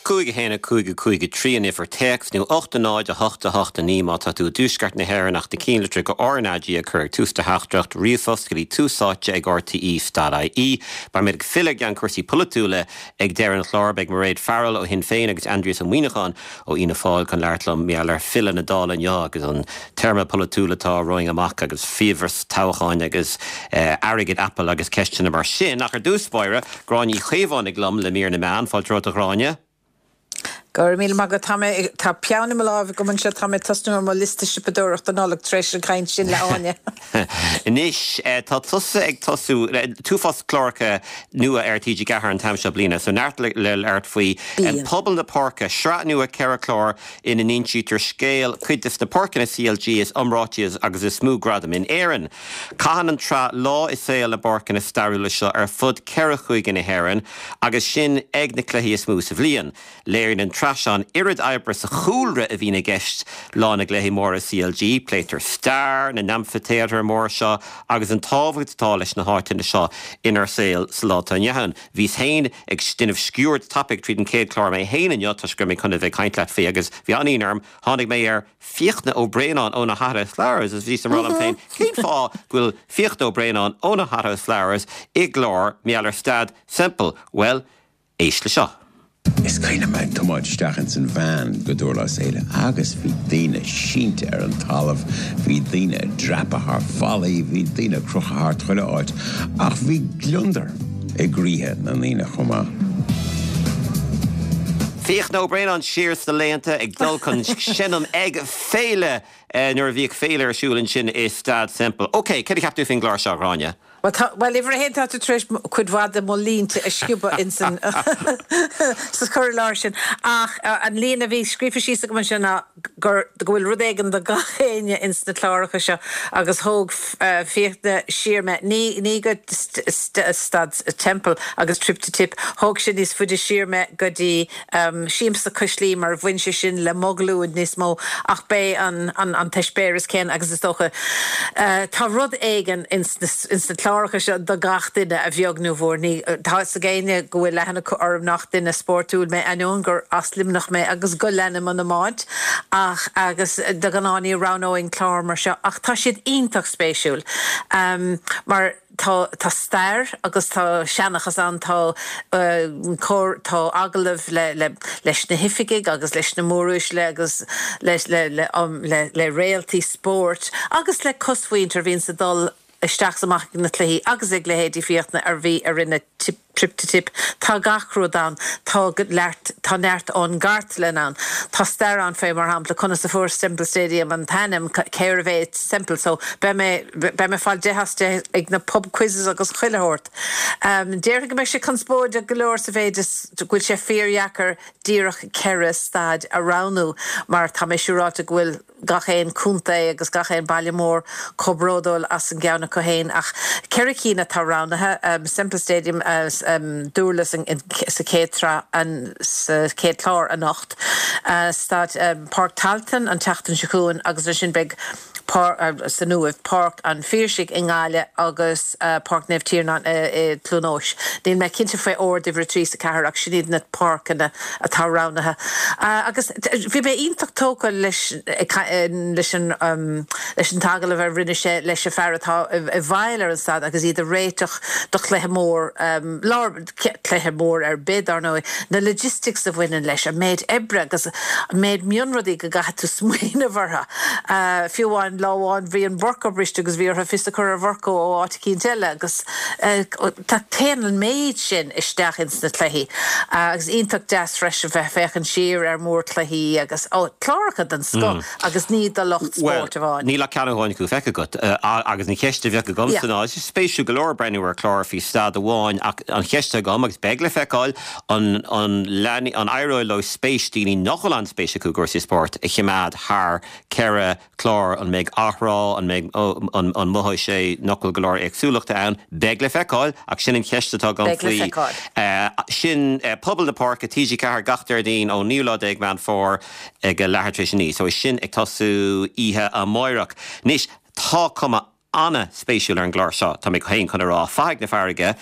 5 1 5 5 3 an uimhir téacs, nó 8 0 8 8 9 má tá tú i dtuaisceart na hÉireann ach na cinnlitreacha RnaG a chur ag tús do theachtaireacht ríomhphost go dtí túsáite ag rte.ie. Beidh muid ag filleadh ar gceannchúrsaí polaitiúla ag deireadh an chláir. Beidh Mairéad Farrell ó Shinn Féin agus Aindrias Ó Muíneacháin ó Fhianna Fáil chun labhairt liom mar gheall ar filleadh na Dála inniu agus an téarma polaitiúil atá romhainn amach agus fiabhras toghcháin agus airgead Apple agus ceisteanna mar sin. Ach ar dtús báire, Gráinne Uí Chaomhánaigh liom le mír na meán. Fáilte romhat a Ghráinne. Go raibh míle maith agat. Tá mé, tá peann i mo láimh agam anseo, tá mé ag tosnú ar mo liosta siopadóireachta Nollag tar éis an chaint sin le Áine. Anois, tá tusa ag tosú le t-uafás cláracha nua ar TG4 an t-am seo bliana, so neart le labhairt faoi. Bíonn. Pobal na Páirce, sraith nua 4 chlár ina n-insítear scéal cuid de na páirceanna CLG is iomráití agus is mó gradam in Éirinn. Caitheann an tsraith lá i saol na bpáirceanna stairiúla seo ar fud cheithre chúige na hÉireann agus sinn ag na cluichí is mó sa bhliain. Léiríonn an tsraith seo an oiread oibre sa chúlra a bhíonn i gceist lá na gcluichí móra CLG. Pléitear stair na n-amfaitéatar mór seo agus an tábhacht atá leis na háiteanna seo inár saol sa lá atá inniu ann. Bhíos féin ag déanamh sciuird tapaidh tríd an chéad chlár mé féin inniu toisc go raibh mé chun a bheith ag caint leat faoi agus bhí an-ionadh orm, tháinig mé ar Fiachna Ó Braonáin ó na Hothouse Flowers agus bhíos ag rá liom féin, cén fáth go bhfuil Fiachna Ó Braonáin ó na Hothouse Flowers i gclár mar gheall ar Staid Semple? Bhuel, éist le seo. Is cuimhin liom ag tiomáint isteach ins an veain go Dúrlas Éile agus bhí daoine sínte ar an talamh, bhí daoine ag dreapadh thar fallaí, bhí daoine ag crochadh thart chuile áit ach bhí gliondar i gcroíthe na ndaoine chomh maith. Fiachna Ó Braonáin siar sna laethanta ag dul chun seinm ag féile nuair a bhíodh féile ar siúl ansin i Staid Semple. Ok, céard a cheap tú faoin gclár seo, a Ghráinne? Bhuel, tá, bhuel, uimhir a haon, tá tú tar éis cuid mhaith de mo línte a sciobadh ins an, sa chur i láthair sin. Ach an líne a bhí scríofa síos agam anseo ná gur, go bhfuil rud éigin do gach éinne ins na cláracha seo agus thóg Fiachna siar mé, ní, ní go Staid Semple agus Trip to Tipp, thóg sé níos faide siar mé go dtí Siamsa Cois Laoi mar bhain sé sin le mo ghlúin níos mó ach b'é an an t-eispéireas céanna agus is dócha tá rud éigin ins na cláracha seo do gach duine a bheag nó a mhór. Ní, tá fhios ag éinne go bhfuil aithne acu orm nach duine spórtúil mé ainneoin gur as Luimneach mé agus go leanaim an iomáint ach agus de ghnáth ní roghnóinn clár mar seo ach tá siad iontach spéisiúil mar Tá, tá stair agus tá seanchas ann, tá cor, tá agallaimh le, le, leis na hoifigigh agus leis na móruaisle agus le, le, le, le, le réaltaí spóirt agus le cosmhuintir a bhíonns ag dul isteach is amach ag na cluichí agus ag leithéidí Fiachna a bhí, a rinne tip. Trip to Tipp. Tá gach rud ann. Tá neart, tá neart ón gcartlann ann. Tá stair ann fé, mar shampla, conas a fuair Semple Stadium an t-ainm, cérbh é Semple. So, beidh mé, beidh mé ag fáil 10 as 10 ag na pub quizzes agus chuile shórt. Déarfainn go mbeidh sé conspóideach go leor sa mhéid is go bhfuil sé fíordheacair díreach 4 staid a roghnú mar tá mé siúráilte go bhfuil gach aon chontae agus gach aon baile mór chomh bródúil as an gceann acu féin ach 4 cinn atá roghnaithe, Semple Stadium, Dúrlas sa chéad tsraith, sa chéad chlár anocht, Staid Páirc Tailteann an tseachtain seo chugainn agus ansin beidh san Uaimh, Páirc an Phiarsaigh i nGaillimh agus Páirc Naomh Tiarnán i gCluain Eois. Níl mé cinnte faoi ord uimhir 3 is 4 ach sin iad na páirceanna atá roghnaithe. Agus bhí mé iontach tógtha leis leis an leis an t-agallamh a rinne sé leis an fear atá i bhfeighil ar an staid agus iad ag réiteach do chluiche mór lár cluiche mór ar bith dar ndóigh, na logistics a bhaineann leis, an méid oibre agus an méid mionrudaí go gcaithfidh tú smaoineamh orthu. Fiú amháin lá amháin bhí an mhurcó briste agus bhí orthu fios a chur ar mhurcó ó áit eicínt eile agus tá téann an méid sin isteach ins na cluichí agus iontach deas freisin bheith féachaint siar ar mhórchluichí agus ó cláracha den scoth agus ní do lucht spóirt amháin. Níl ach ceann amháin acu feicthe agat agus an cheist a bheadh agamsa ná, is spéisiúil go leor breathnú ar chlár faoi staid amháin ach an cheist agam agus beidh le feiceáil an an an éireoidh leo spéis daoine nach bhfuil an-spéis acu i gcúrsaí spóirt a choimeád thar 4 chlár, an mbeidh athrá, an mbeidh, an mothóidh sé nach bhfuil go leor éagsúlachta ann? Beidh le feiceáil, ach sin an cheist atá agam Beidh le faoi. feiceáil. Sin Pobal na Páirce, TG4 gach Déardaoin ón naoú lá déag Meán Fómhair ag a leathuair tar éis a 9. So sin ag tosú oíche amáireach. Anois, tá cuma. An-spéisiúil ar an gclár seo, tá mé féin chun a rá. Fathaigh na Farraige,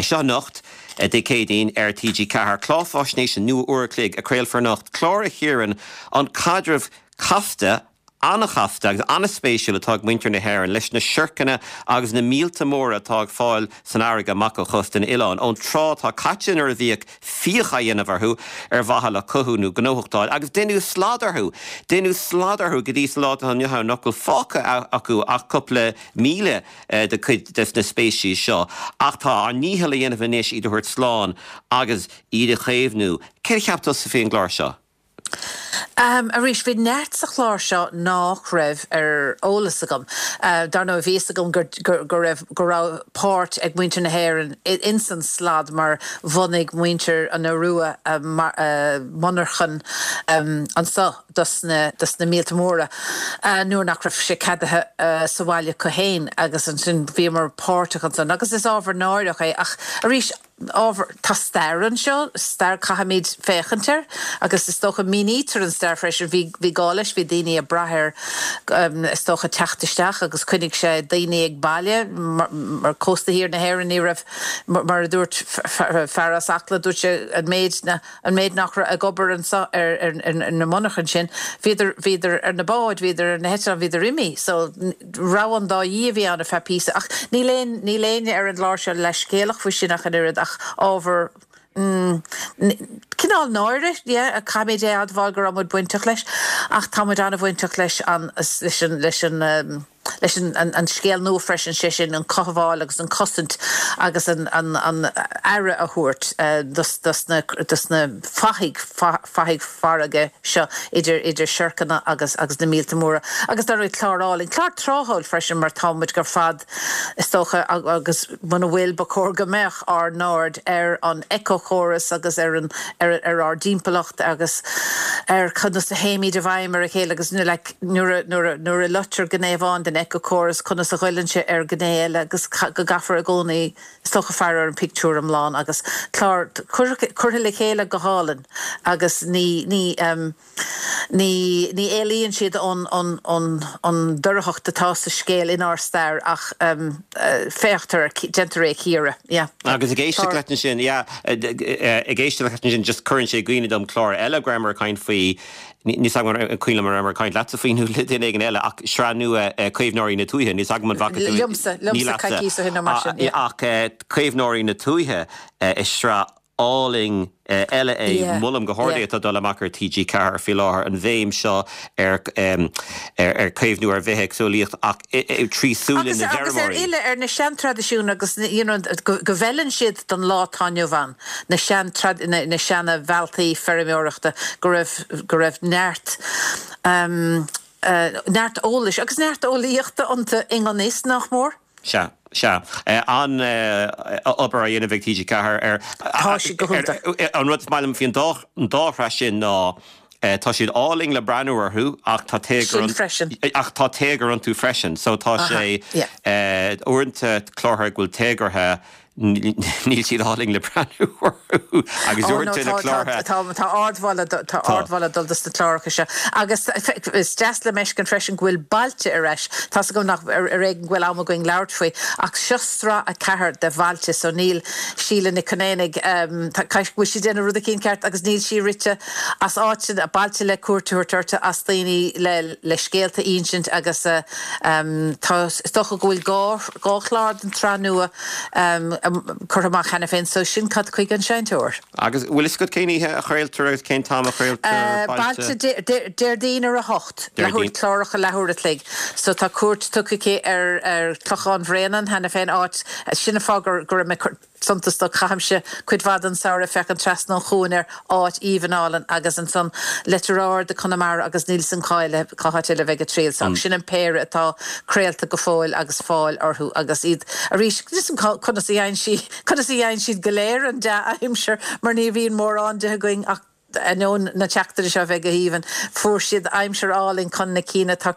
seo anocht, Dé Céadaoin, ar TG4. Clár faisnéise nua uair a chloig a chraolfar anocht, clár a chíorann an caidreamh casta, an-chasta agus an-spéisiúil atá ag muintir na hÉireann leis na siorcanna agus na míolta móra atá ag fáil san fharraige amach ó chósta an oileáin. Ón tráth atá caite nuair a bhíodh fiach á dhéanamh orthu ar mhaithe le cothú nó gnóthachtáil agus deineadh slad orthu. Deineadh slad orthu go dtí sa lá atá inniu ann nach bhfuil fágtha acu ach cúpla 1,000 de chuid des na speicis seo. Ach tá ár ndícheall a dhéanamh anois iad a thabhairt slán agus iad a chaomhnú. Céard a cheap tusa faoin gclár seo? Arís, bhí neart sa chlár seo nách raibh ar eolas agam. Dar ndóigh, bhí fhios agam go raibh, go raibh páirt ag muintir na hÉireann ins an slad mar bhunaigh muintir an Iorua monarchan anso dos na, dos na míolta móra nuair nach raibh sé ceadaithe sa bhaile acu fhéin agus ansin bhíomar páirteach ansan agus is ábhar náireach é ach arís, ábhar, tá stair anseo, stair caithfimid féachaint air agus is dócha mínítear an stair freisin, bhí, bhí gá leis, bhí daoine ag brath air is dócha teacht isteach agus choinnigh sé daoine ag baile mar, mar cósta thiar na hÉireann ní raibh, mar a dúirt fear as Acla, dúirt sé an méid na, an méid nach raibh ag obair anseo ar, ar, ar na monarchain sin, bhíodar, bhíodar ar na báid, bhíodar ar na heitleáin, bhíodar imithe so, rogha an dá dhíth a bhí ann ar feadh píosa ach níl aon, níl éinne ar an gclár seo leithscéalach faoi sin ach an oiread ach ábhar, mm, cineál náire, yeah, caithfimid é a admháil go raibh muid bainteach leis ach tá muid an-bhainteach leis an, leis an, leis an, leis an, an, an scéal nua freisin, sé sin an cothabháil agus an cosaint agus an, an, an aire a thabhairt dos, dos na, dos na fathaigh, fathaigh farraige seo idir idir siorcanna agus agus na míolta móra. Agus dar ndóigh clár álainn, clár tráthúil freisin mar tá muid ar fad is dócha agus muna bhfuil ba chóir go mbeadh ár n-aird ar an éiceachóras agus ar an ar ar ár dtimpeallacht agus ar conas a théimid i bhfeidhm ar a chéile agus like nuair a nuair a nuair a loitear gné amháin den éiceachóras conas a ghoilleann sé ar ghné eile agus go gcaithfear i gcónaí Is dócha faire ar an pictiúr iomlán agus clár curtha le chéile go hálainn agus ní, ní, ní, ní éalaíonn siad ón, ón, ón, ón dorchacht atá sa scéal inár stair ach féachtar air, déantar é a chíoradh. Yeah. Agus ag éisteacht leat ansin, yeah, ag éisteacht leat ansin just cuireann sé i gcuimhne dom clár eile go rabhamar ag caint faoi, Níl 'fhios agam an cuimhin liom an rabhamar ag caint leatsa faoi nó le duine éigin eile ach sraith nua Caomhnóirí na Tuaithe, níl 'fhios agam an bhfaca tú Liomsa, liomsa coicíos ó shin nó mar sin, yeah. Ach Caomhnóirí na Tuaithe is sraith álainn eile é, molaim go hard é, atá ag dul amach ar TG4 faoi láthair, an bhéim seo ar ar chaomhnú ar bhithéagsúlaíocht ach trí súile na bhfeirmeoirí. Agus ar fhilleadh ar na seantraidisiúin agus you know go bhfeileann siad don lá atá inniu ann. na sean na seana bhealtaí feirmeoireachta go raibh go raibh neart neart eolais agus neart eolaíochta iontu i ngan fhios, nach mór. Sea, sea. An-obair á dhéanamh ag TG4 ar Tá siad go hiontach. An rud is maith liom faoin dá an dá shraith sin ná tá siad álainn le breathnú orthu ach tá téagar Sin freisin. ach tá téagar iontu freisin so tá sé uaireanta clártha go bhfuil téagartha Níl siad álainn le breathnú orthu agus uaireanta na clártha. Tá ardmholadh tá ardmholadh ag dul dos na cláracha seo agus is deas liom fheiscint freisin go bhfuil Bailte ar ais. Tá's agam nach ar éigean go bhfuil am againn labhairt faoi ach seo sraith 4 de Bhailte so níl Síle Nic Conamhnaigh caithfidh go bhfuil sí ag déanamh rud eicínt ceart agus níl sí rite as áit bailte le cuairt a thabhairt orthu as daoine le le scéalta a insint agus tá is dócha go bhfuil 2 chlár den tsraith nua curtha amach cheana féin so sin cad chuige an seinnteoir. Agus bhfuil fhios agat cén oíche a chraoltar agus cén t-am a chraoltar Bailte? Bailte Déardaoin ar a hocht, leathuair, cláracha leathuair a chloig. So tá cuairt tugtha aici ar ar Chlochán Bhréanainn cheana féin, áit, sin an fáth go raibh mé suntas dó. Caithimse cuid mhaith den samhradh ag féachaint trasna an chuain ar áit aoibhinn álainn agus ansan Leitir Ard i Conamara agus níl 'fhios a'm cá eile, cá háit eile a bheidh a triall so sin an péire atá craolta go fóill agus fáil orthu agus iad arís níl 'fhios a'm conas a fhaigheann sí, conas a fhaigheann siad go léir an dea-aimsir mar ní bhíonn mórán de againn ach ainneoin na seachtaine seo a bheith go haoibhinn, fuair siad aimsir álainn chun na cinn atá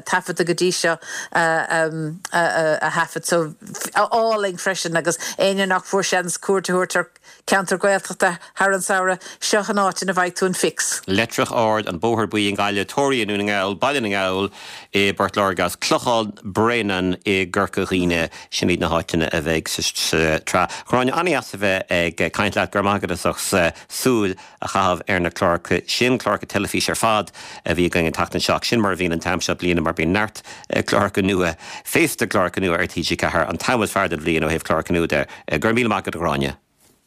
taifeadta go dtí seo a thaifead. So, álainn freisin agus éinne nach bhfuair seans cuairt a thabhairt ar. Ceantar Gaeltachta thar an samhradh, seo an áit ina bhfaighidh tú an fix. Leitreach Ard, An Bóthar Buí i nGaillimh, Toraigh i nDún na nGall, Baile na nGall i bPort Láirge agus Clochán Bréanainn i gCorca Dhuibhne. Sin iad na háiteanna a bheidh sa tsraith. Ghráinne, an-dheas a bheith ag caint leat. Go raibh maith agat as ucht súil a chaitheamh ar na cláracha sin, cláracha teilifíse ar fad a bhí againn an tseachtain seo. Ach sin mar a bhíonn an t-am seo bliana mar bíonn neart cláracha nua, féasta cláracha nua ar TG4, an t-am is fearr den bhliain ó thaobh cláracha nua de. Go raibh míle maith agat a Ghráinne.